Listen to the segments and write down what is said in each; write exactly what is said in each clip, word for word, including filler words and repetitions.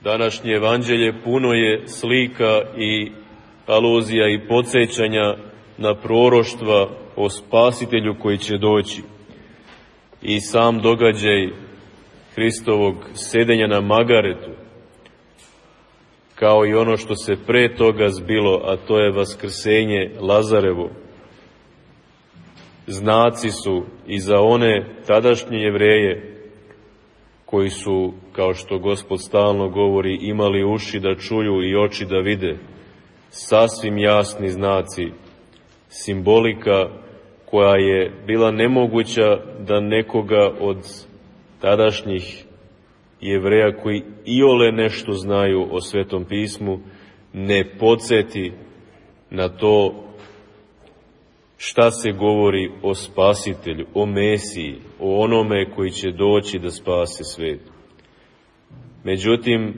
Današnje evanđelje puno je slika i aluzija i podsjećanja na proroštva o spasitelju koji će doći. I sam događaj Hristovog sedenja na magaretu, kao i ono što se pre toga zbilo, a to je vaskrsenje Lazarevo, znaci su i za one tadašnje Jevreje koji su, kao što Gospod stalno govori, imali uši da čuju i oči da vide, sasvim jasni znaci, simbolika koja je bila nemoguća da nekoga od tadašnjih Jevreja koji iole nešto znaju o Svetom pismu ne podsjeti na to šta se govori o Spasitelju, o Mesiji, o onome koji će doći da spase svet. Međutim,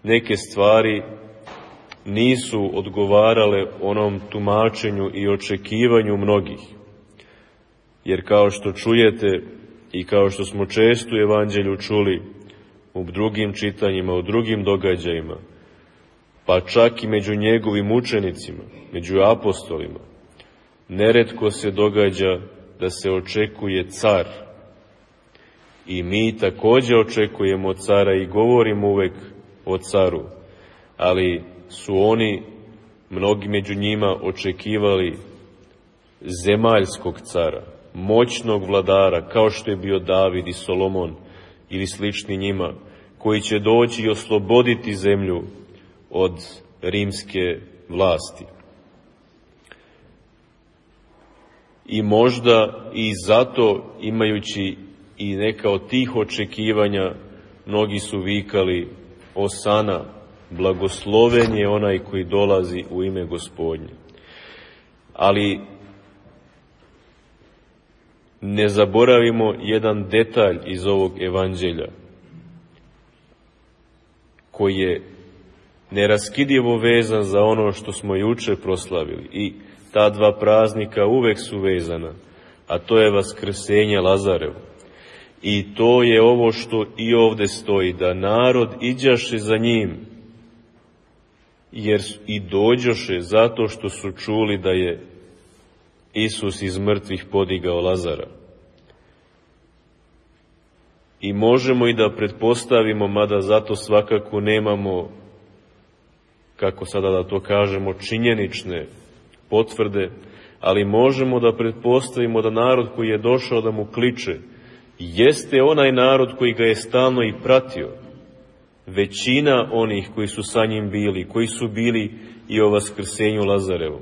neke stvari nisu odgovarale onom tumačenju i očekivanju mnogih. Jer kao što čujete i kao što smo često u evanđelju čuli u drugim čitanjima, u drugim događajima, pa čak i među njegovim učenicima, među apostolima, neretko se događa da se očekuje car. I mi također očekujemo cara i govorimo uvek o caru, ali su oni, mnogi među njima, očekivali zemaljskog cara, moćnog vladara, kao što je bio David i Solomon ili slični njima, koji će doći i osloboditi zemlju od rimske vlasti. I možda i zato, imajući i neka od tih očekivanja, mnogi su vikali Osana, blagosloven je onaj koji dolazi u ime Gospodnje. Ali ne zaboravimo jedan detalj iz ovog evanđelja, koji je neraskidivo vezan za ono što smo juče proslavili. I ta dva praznika uvek su vezana, a to je vaskrsenje Lazarevo. I to je ovo što i ovde stoji, da narod iđaše za njim, jer i dođoše zato što su čuli da je Isus iz mrtvih podigao Lazara. I možemo i da pretpostavimo, mada zato svakako nemamo, kako sada da to kažemo, činjenične potvrde, ali možemo da pretpostavimo da narod koji je došao da mu kliče jeste onaj narod koji ga je stalno i pratio. Većina onih koji su sa njim bili, koji su bili i o vaskrsenju Lazarevom.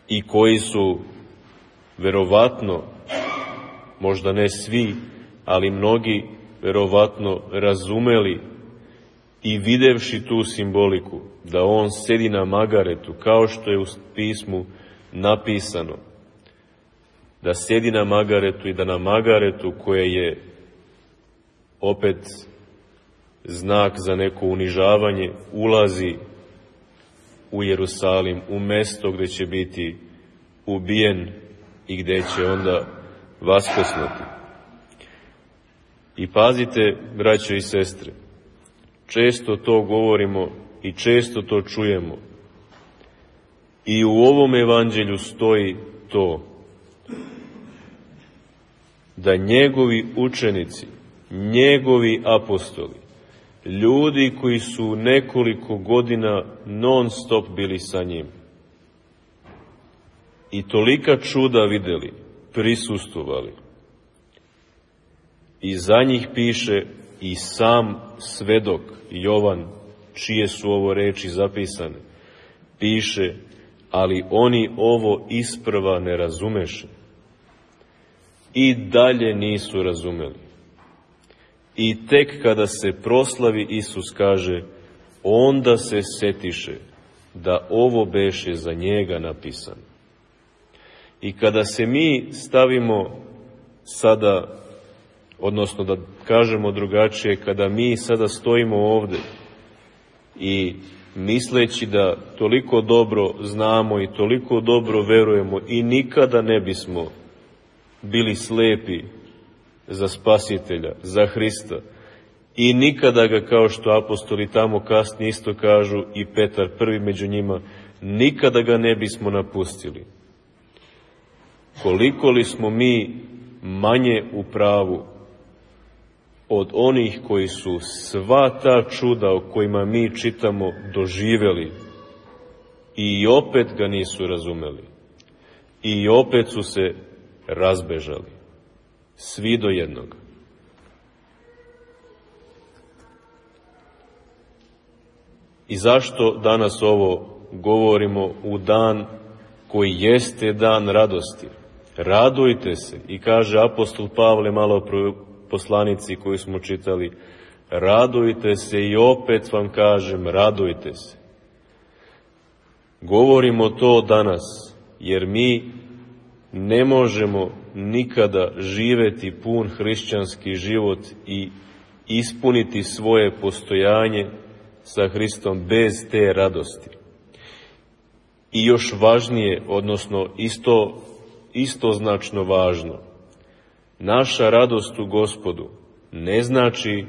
I koji su verovatno, možda ne svi, ali mnogi verovatno razumeli i videvši tu simboliku, da on sedi na magaretu, kao što je u pismu napisano, da sedi na magaretu i da na magaretu, koje je opet znak za neko unižavanje, ulazi u Jerusalim, u mesto gde će biti ubijen i gde će onda vaskrsnuti. I pazite, braćo i sestre, često to govorimo i često to čujemo. I u ovom evanđelju stoji to, da njegovi učenici, njegovi apostoli, ljudi koji su nekoliko godina non stop bili sa njim i tolika čuda videli, prisustvovali. I za njih piše i sam svedok Jovan, čije su ovo reči zapisane, piše, ali oni ovo isprva ne razumeše. I dalje nisu razumeli. I tek kada se proslavi Isus, kaže, onda se setiše da ovo beše za njega napisano. I kada se mi stavimo sada, odnosno da kažemo drugačije, kada mi sada stojimo ovde i misleći da toliko dobro znamo i toliko dobro verujemo i nikada ne bismo bili slepi za Spasitelja, za Hrista. I nikada ga, kao što apostoli tamo kasnije isto kažu, i Petar prvi među njima, nikada ga ne bismo napustili. Koliko li smo mi manje u pravu od onih koji su sva ta čuda o kojima mi čitamo doživeli i opet ga nisu razumeli. I opet su se razbežali. Svi do jednog. I zašto danas ovo govorimo u dan koji jeste dan radosti? Radujte se. I kaže apostol Pavle malo pro poslanici koju smo čitali, radujte se, i opet vam kažem, radujte se. Govorimo to danas, jer mi ne možemo nikada živeti pun hrišćanski život i ispuniti svoje postojanje sa Hristom bez te radosti. I još važnije, odnosno isto, istoznačno važno, naša radost u Gospodu ne znači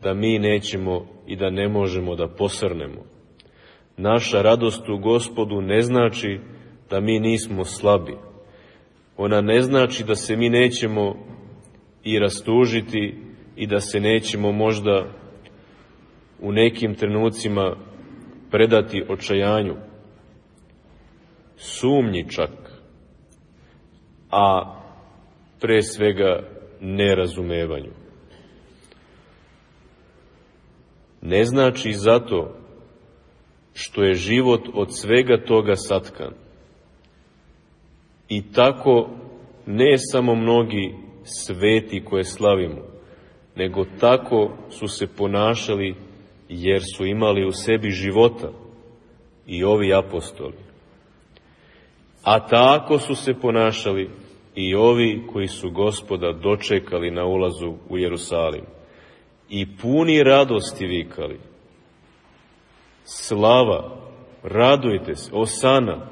da mi nećemo i da ne možemo da posrnemo. Naša radost u Gospodu ne znači da mi nismo slabi. Ona ne znači da se mi nećemo i rastužiti i da se nećemo možda u nekim trenucima predati očajanju, sumnji čak, a pre svega nerazumevanju. Ne znači zato što je život od svega toga satkan. I tako ne samo mnogi sveti koje slavimo, nego tako su se ponašali jer su imali u sebi života i ovi apostoli. A tako su se ponašali i ovi koji su Gospoda dočekali na ulazu u Jerusalim i puni radosti vikali: slava, radujte se, osana,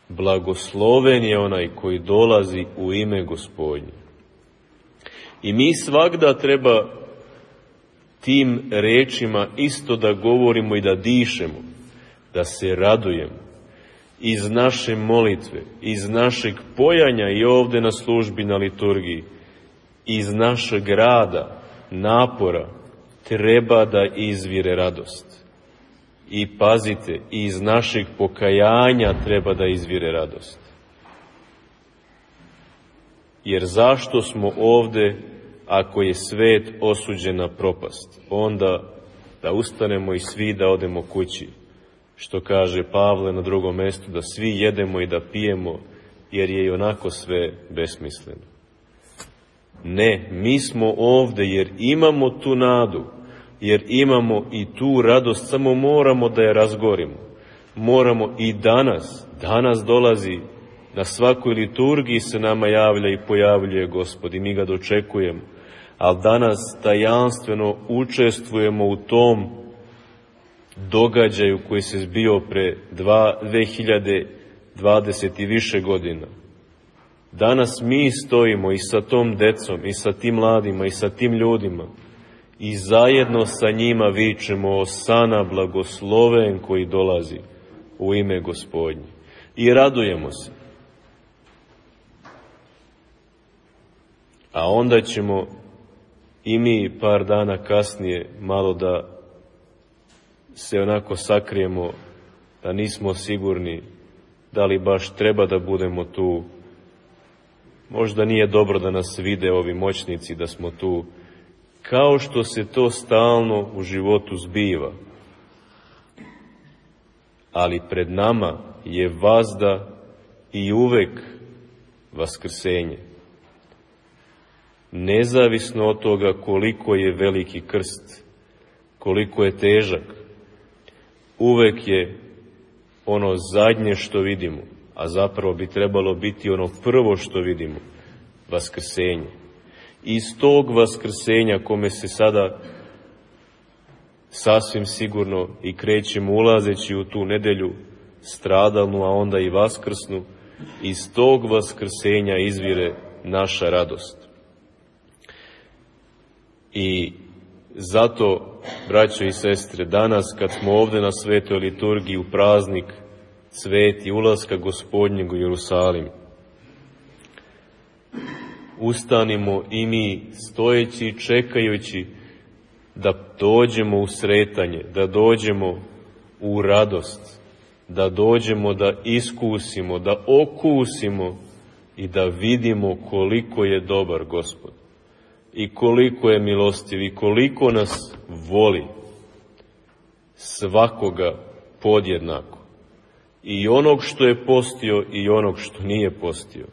blagosloven je onaj koji dolazi u ime Gospodnje. I mi svagda treba tim rečima isto da govorimo i da dišemo, da se radujemo iz naše molitve, iz našeg pojanja i ovde na službi na liturgiji, iz našeg rada, napora, treba da izvire radost. I pazite, iz našeg pokajanja treba da izvire radost. Jer zašto smo ovde ako je svet osuđen na propast? Onda da ustanemo i svi da odemo kući. Što kaže Pavle na drugom mestu, da svi jedemo i da pijemo, jer je i onako sve besmisleno. Ne, mi smo ovde jer imamo tu nadu, jer imamo i tu radost, samo moramo da je razgorimo. Moramo i danas, danas dolazi, na svakoj liturgiji se nama javlja i pojavljuje Gospod i mi ga dočekujemo, ali danas tajanstveno učestvujemo u tom događaju koji se zbio pre dve hiljade dvadeset i više godina. Danas mi stojimo i sa tom decom, i sa tim mladima, i sa tim ljudima, i zajedno sa njima vičemo: osana, blagosloven koji dolazi u ime Gospodnje. I radujemo se. A onda ćemo i mi par dana kasnije malo da se onako sakrijemo, da nismo sigurni da li baš treba da budemo tu. Možda nije dobro da nas vide ovi moćnici da smo tu, kao što se to stalno u životu zbiva. Ali pred nama je vazda i uvek vaskrsenje. Nezavisno od toga koliko je veliki krst, koliko je težak, uvek je ono zadnje što vidimo, a zapravo bi trebalo biti ono prvo što vidimo, vaskrsenje. Iz tog vaskrsenja kome se sada sasvim sigurno i krećemo ulazeći u tu nedelju stradalnu, a onda i vaskrsnu, iz tog vaskrsenja izvire naša radost. I zato, braćo i sestre, danas kad smo ovde na svetoj liturgiji u praznik sveti ulaska Gospodnjeg u Jerusalim, ustanimo i mi stojeći i čekajući da dođemo u sretanje, da dođemo u radost, da dođemo da iskusimo, da okusimo i da vidimo koliko je dobar Gospod i koliko je milostiv i koliko nas voli, svakoga podjednako, i onog što je postio i onog što nije postio,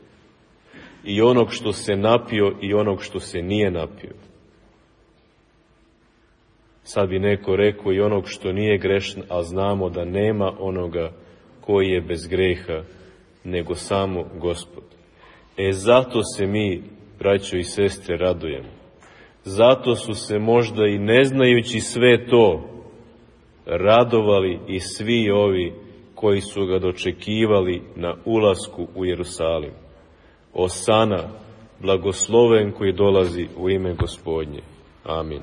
i onog što se napio i onog što se nije napio. Sad bi neko rekao i onog što nije grešan, a znamo da nema onoga koji je bez greha, nego samo Gospod. E zato se mi, braćo i sestre, radujemo. Zato su se možda i ne znajući sve to radovali i svi ovi koji su ga dočekivali na ulasku u Jerusalim. Osana, blagosloven koji dolazi u ime Gospodnje. Amin.